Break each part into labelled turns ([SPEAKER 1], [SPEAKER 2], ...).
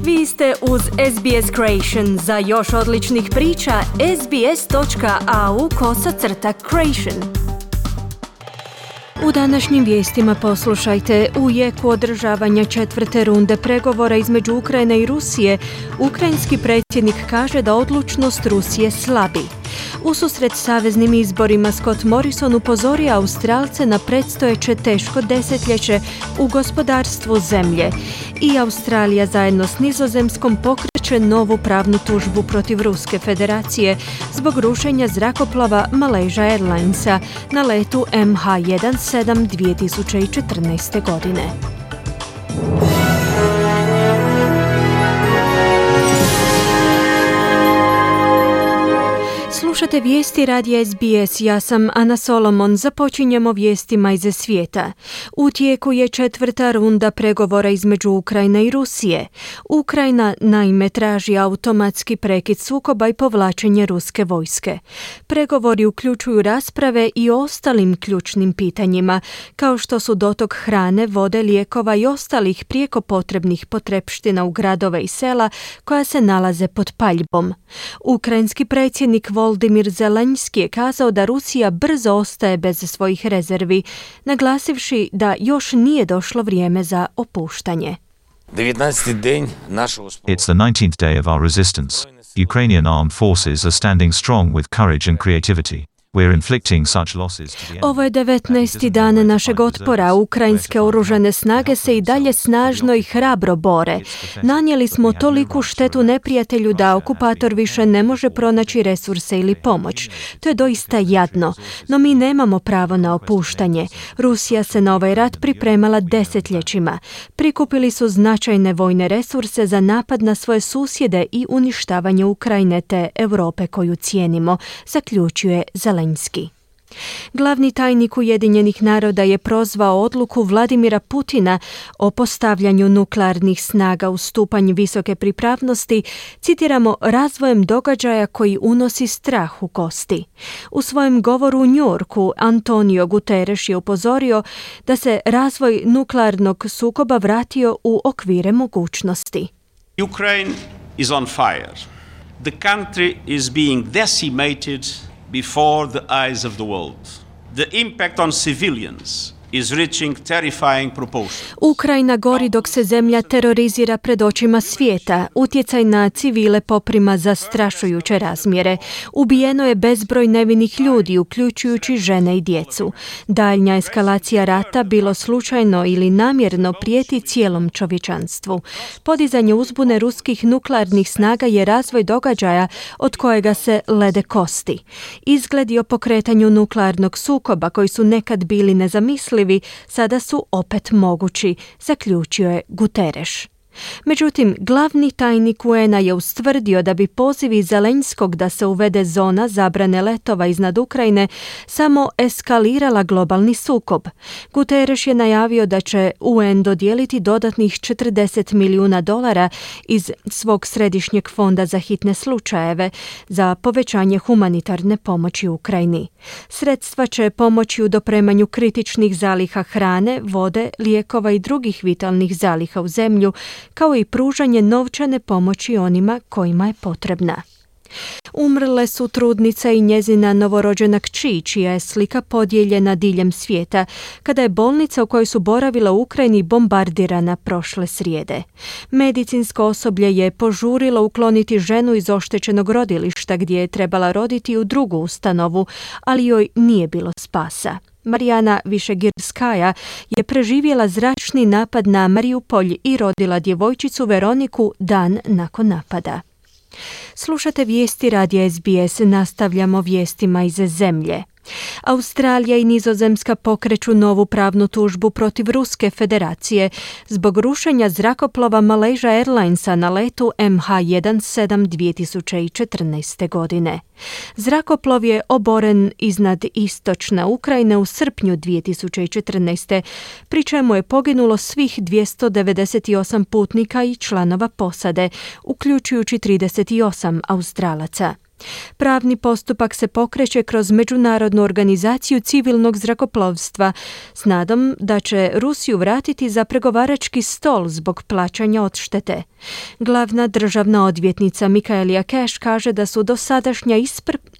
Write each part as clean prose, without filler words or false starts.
[SPEAKER 1] Vi ste uz SBS Creation. Za još odličnih priča, sbs.au/creation. U današnjim vijestima poslušajte: u jeku održavanja 4. runde pregovora između Ukrajine i Rusije, ukrajinski predsjednik kaže da odlučnost Rusije slabi. Ususret saveznim izborima Scott Morrison upozorio Australce na predstojeće teško desetljeće u gospodarstvu zemlje. I Australija zajedno s Nizozemskom pokreće novu pravnu tužbu protiv Ruske federacije zbog rušenja zrakoplova Malaysia Airlinesa na letu MH17 2014. godine. Slušate vijesti radija SBS, ja sam Ana Solomon. Započinjemo vijestima iz svijeta. U tijeku je 4. runda pregovora između Ukrajine i Rusije. Ukrajina naime traži automatski prekid sukoba i povlačenje ruske vojske. Pregovori uključuju rasprave i o ostalim ključnim pitanjima, kao što su dotok hrane, vode, lijekova i ostalih prijeko potrebnih potrepština u gradove i sela koja se nalaze pod paljbom. Ukrajinski predsjednik Volodymyr Zelenski je kazao da Rusija brzo ostaje bez svojih rezervi, naglasivši da još nije došlo vrijeme za opuštanje.
[SPEAKER 2] It's the 19th day of our resistance. Ukrainian armed forces are standing strong with courage and creativity. We're inflicting such losses to the enemy.
[SPEAKER 1] Ovo je 19. dan našeg otpora. Ukrajinske oružane snage se i dalje snažno i hrabro bore. Nanijeli smo toliku štetu neprijatelju da okupator više ne može pronaći resurse ili pomoć. To je doista jadno, no mi nemamo pravo na opuštanje. Rusija se na ovaj rat pripremala desetljećima. Prikupili su značajne vojne resurse za napad na svoje susjede i uništavanje Ukrajine te Europe koju cijenimo, zaključuje Zelenski. Glavni tajnik Ujedinjenih naroda je prozvao odluku Vladimira Putina o postavljanju nuklearnih snaga u stupanj visoke pripravnosti, citiramo, razvojem događaja koji unosi strah u kosti. U svojem govoru u New Yorku Antonio Guterres je upozorio da se razvoj nuklearnog sukoba vratio u okvire mogućnosti.
[SPEAKER 3] Ukraine is on fire. The country is being decimated before the eyes of the world. The impact on civilians is reaching terrifying proportions.
[SPEAKER 1] Ukrajina gori dok se zemlja terorizira pred očima svijeta. Utjecaj na civile poprima zastrašujuće razmjere. Ubijeno je bezbroj nevinih ljudi, uključujući žene i djecu. Daljnja eskalacija rata, bilo slučajno ili namjerno, prijeti cijelom čovječanstvu. Podizanje uzbune ruskih nuklearnih snaga je razvoj događaja od kojega se lede kosti. Izgledi o pokretanju nuklearnog sukoba koji su nekad bili nezamislivi sada su opet mogući, zaključio je Guterres. Međutim, glavni tajnik UN-a je ustvrdio da bi pozivi Zelenskog da se uvede zona zabrane letova iznad Ukrajine samo eskalirala globalni sukob. Guterres je najavio da će UN dodijeliti dodatnih $40 milijuna iz svog središnjeg fonda za hitne slučajeve za povećanje humanitarne pomoći Ukrajini. Sredstva će pomoći u dopremanju kritičnih zaliha hrane, vode, lijekova i drugih vitalnih zaliha u zemlju, kao i pružanje novčane pomoći onima kojima je potrebna. Umrle su trudnica i njezina novorođena kći, čija je slika podijeljena diljem svijeta, kada je bolnica u kojoj su boravila u Ukrajini bombardirana prošle srijede. Medicinsko osoblje je požurilo ukloniti ženu iz oštećenog rodilišta gdje je trebala roditi u drugu ustanovu, ali joj nije bilo spasa. Marijana Višegirskaja je preživjela zračni napad na Mariupolj i rodila djevojčicu Veroniku dan nakon napada. Slušate vijesti radija SBS, nastavljamo vijestima iz zemlje. Australija i Nizozemska pokreću novu pravnu tužbu protiv Ruske federacije zbog rušenja zrakoplova Malaysia Airlinesa na letu MH17 2014. godine. Zrakoplov je oboren iznad istočne Ukrajine u srpnju 2014. pri čemu je poginulo svih 298 putnika i članova posade, uključujući 38 Australaca. Pravni postupak se pokreće kroz Međunarodnu organizaciju civilnog zrakoplovstva s nadom da će Rusiju vratiti za pregovarački stol zbog plaćanja odštete. Glavna državna odvjetnica Michaelia Cash kaže da su dosadašnja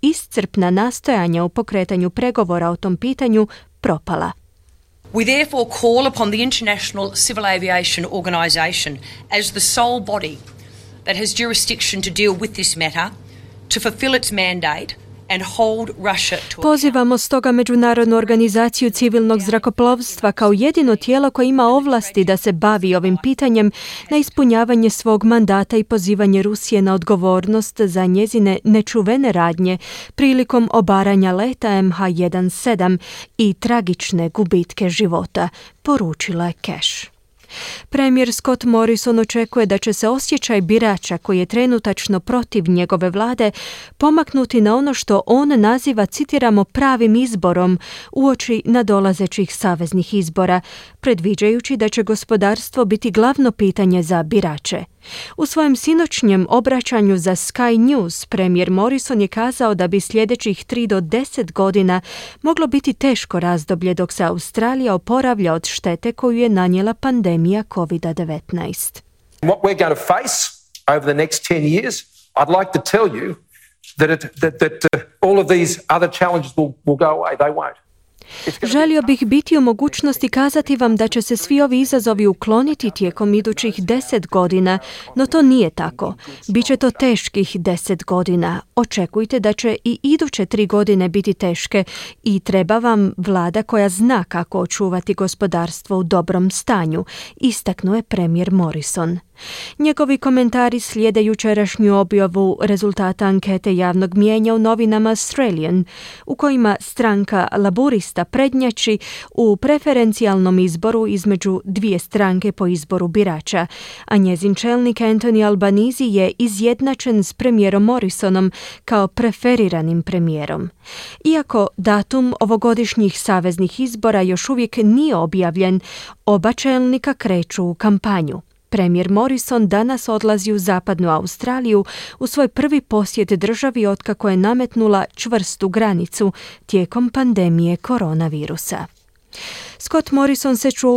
[SPEAKER 1] iscrpna nastojanja u pokretanju pregovora o tom pitanju propala.
[SPEAKER 4] We therefore call upon the International Civil Aviation Organisation as the sole body that has jurisdiction to deal with this matter to fulfill its mandate and hold Russia to account.
[SPEAKER 1] Pozivamo stoga Međunarodnu organizaciju civilnog zrakoplovstva kao jedino tijelo koje ima ovlasti da se bavi ovim pitanjem na ispunjavanje svog mandata i pozivanje Rusije na odgovornost za njezine nečuvene radnje prilikom obaranja leta MH17 i tragične gubitke života, poručila je Cash. Premijer Scott Morrison očekuje da će se osjećaj birača koji je trenutačno protiv njegove vlade pomaknuti na ono što on naziva, citiramo, pravim izborom uoči nadolazećih saveznih izbora, predviđajući da će gospodarstvo biti glavno pitanje za birače. U svojem sinoćnjem obraćanju za Sky News premijer Morrison je kazao da bi sljedećih 3 do 10 godina moglo biti teško razdoblje dok se Australija oporavlja od štete koju je nanijela pandemija COVID-19.
[SPEAKER 5] What we're going to face over the next 10 years, I'd like to tell you that all of these other challenges will go away. They won't.
[SPEAKER 1] Želio bih biti u mogućnosti kazati vam da će se svi ovi izazovi ukloniti tijekom idućih 10 godina, no to nije tako. Biće to teških 10 godina. Očekujte da će i iduće 3 godine biti teške i treba vam vlada koja zna kako očuvati gospodarstvo u dobrom stanju, istaknuo je premijer Morrison. Njegovi komentari slijede jučerašnju objavu rezultata ankete javnog mijenja u novinama Australian, u kojima stranka Laburista prednjači u preferencijalnom izboru između dvije stranke po izboru birača, a njezin čelnik Anthony Albanese je izjednačen s premijerom Morrisonom kao preferiranim premijerom. Iako datum ovogodišnjih saveznih izbora još uvijek nije objavljen, oba čelnika kreću u kampanju. Premijer Morrison danas odlazi u zapadnu Australiju u svoj prvi posjet državi otkako je nametnula čvrstu granicu tijekom pandemije koronavirusa. Scott Morrison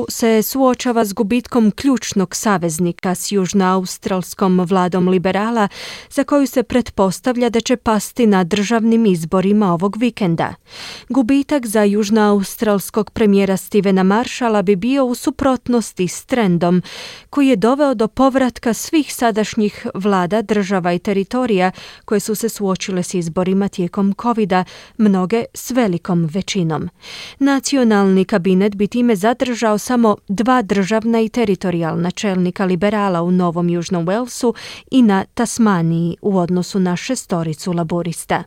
[SPEAKER 1] se suočava s gubitkom ključnog saveznika s južnoaustralskom vladom liberala za koju se pretpostavlja da će pasti na državnim izborima ovog vikenda. Gubitak za južnoaustralskog premijera Stevena Marshalla bi bio u suprotnosti s trendom koji je doveo do povratka svih sadašnjih vlada, država i teritorija koje su se suočile s izborima tijekom covida, mnoge s velikom većinom. Nacionalni kabinet bi time zadržao samo 2 državna i teritorijalna čelnika liberala u Novom Južnom Walesu i na Tasmaniji u odnosu na 6 laborista.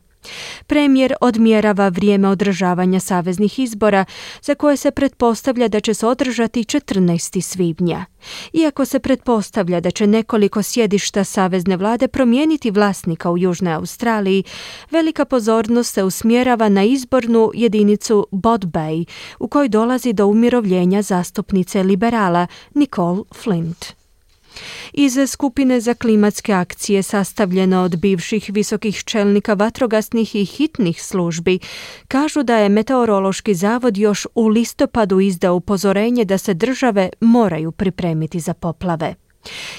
[SPEAKER 1] Premijer odmjerava vrijeme održavanja saveznih izbora za koje se pretpostavlja da će se održati 14. svibnja. Iako se pretpostavlja da će nekoliko sjedišta savezne vlade promijeniti vlasnika u Južnoj Australiji, velika pozornost se usmjerava na izbornu jedinicu Bod Bay u kojoj dolazi do umirovljenja zastupnice liberala Nicole Flint. Iz skupine za klimatske akcije sastavljena od bivših visokih čelnika vatrogasnih i hitnih službi kažu da je Meteorološki zavod još u listopadu izdao upozorenje da se države moraju pripremiti za poplave.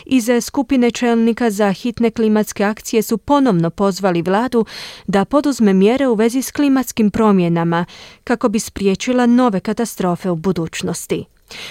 [SPEAKER 1] Iz skupine čelnika za hitne klimatske akcije su ponovno pozvali vladu da poduzme mjere u vezi s klimatskim promjenama kako bi spriječila nove katastrofe u budućnosti.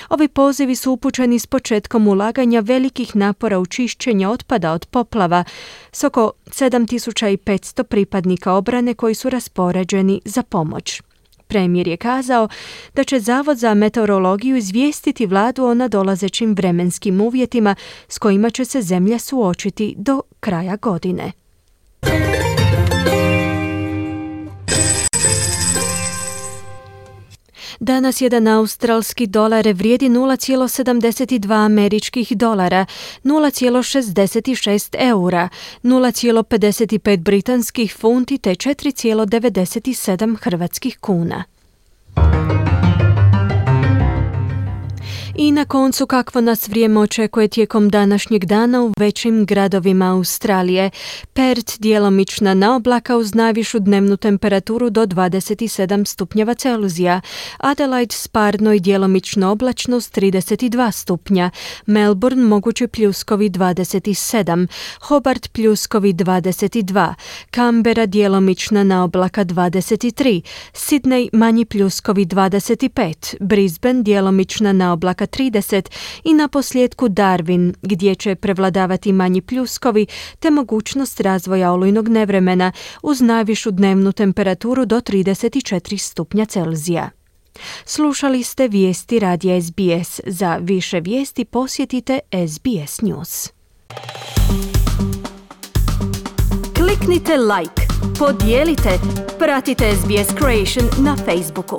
[SPEAKER 1] Ovi pozivi su upućeni s početkom ulaganja velikih napora u čišćenje otpada od poplava s oko 7500 pripadnika obrane koji su raspoređeni za pomoć. Premijer je kazao da će Zavod za meteorologiju izvijestiti vladu o nadolazećim vremenskim uvjetima s kojima će se zemlja suočiti do kraja godine. Danas jedan australski dolar vrijedi 0,72 američkih dolara, 0,66 eura, 0,55 britanskih funti te 4,97 hrvatskih kuna. I na koncu, kakvo nas vrijeme očekuje tijekom današnjeg dana u većim gradovima Australije. Perth djelomična na oblaka uz najvišu dnevnu temperaturu do 27 stupnjeva Celzija. Adelaide sparno i djelomično oblačno s 32 stupnja. Melbourne mogući pljuskovi 27. Hobart pljuskovi 22. Canberra djelomična na oblaka 23. Sydney manji pljuskovi 25. Brisbane djelomična na oblaka 30 i na posljedku Darwin gdje će prevladavati manji pljuskovi te mogućnost razvoja olujnog nevremena uz najvišu dnevnu temperaturu do 34 stupnja Celzija. Slušali ste vijesti radija SBS. Za više vijesti posjetite SBS News. Kliknite like, podijelite, pratite SBS Creation na Facebooku.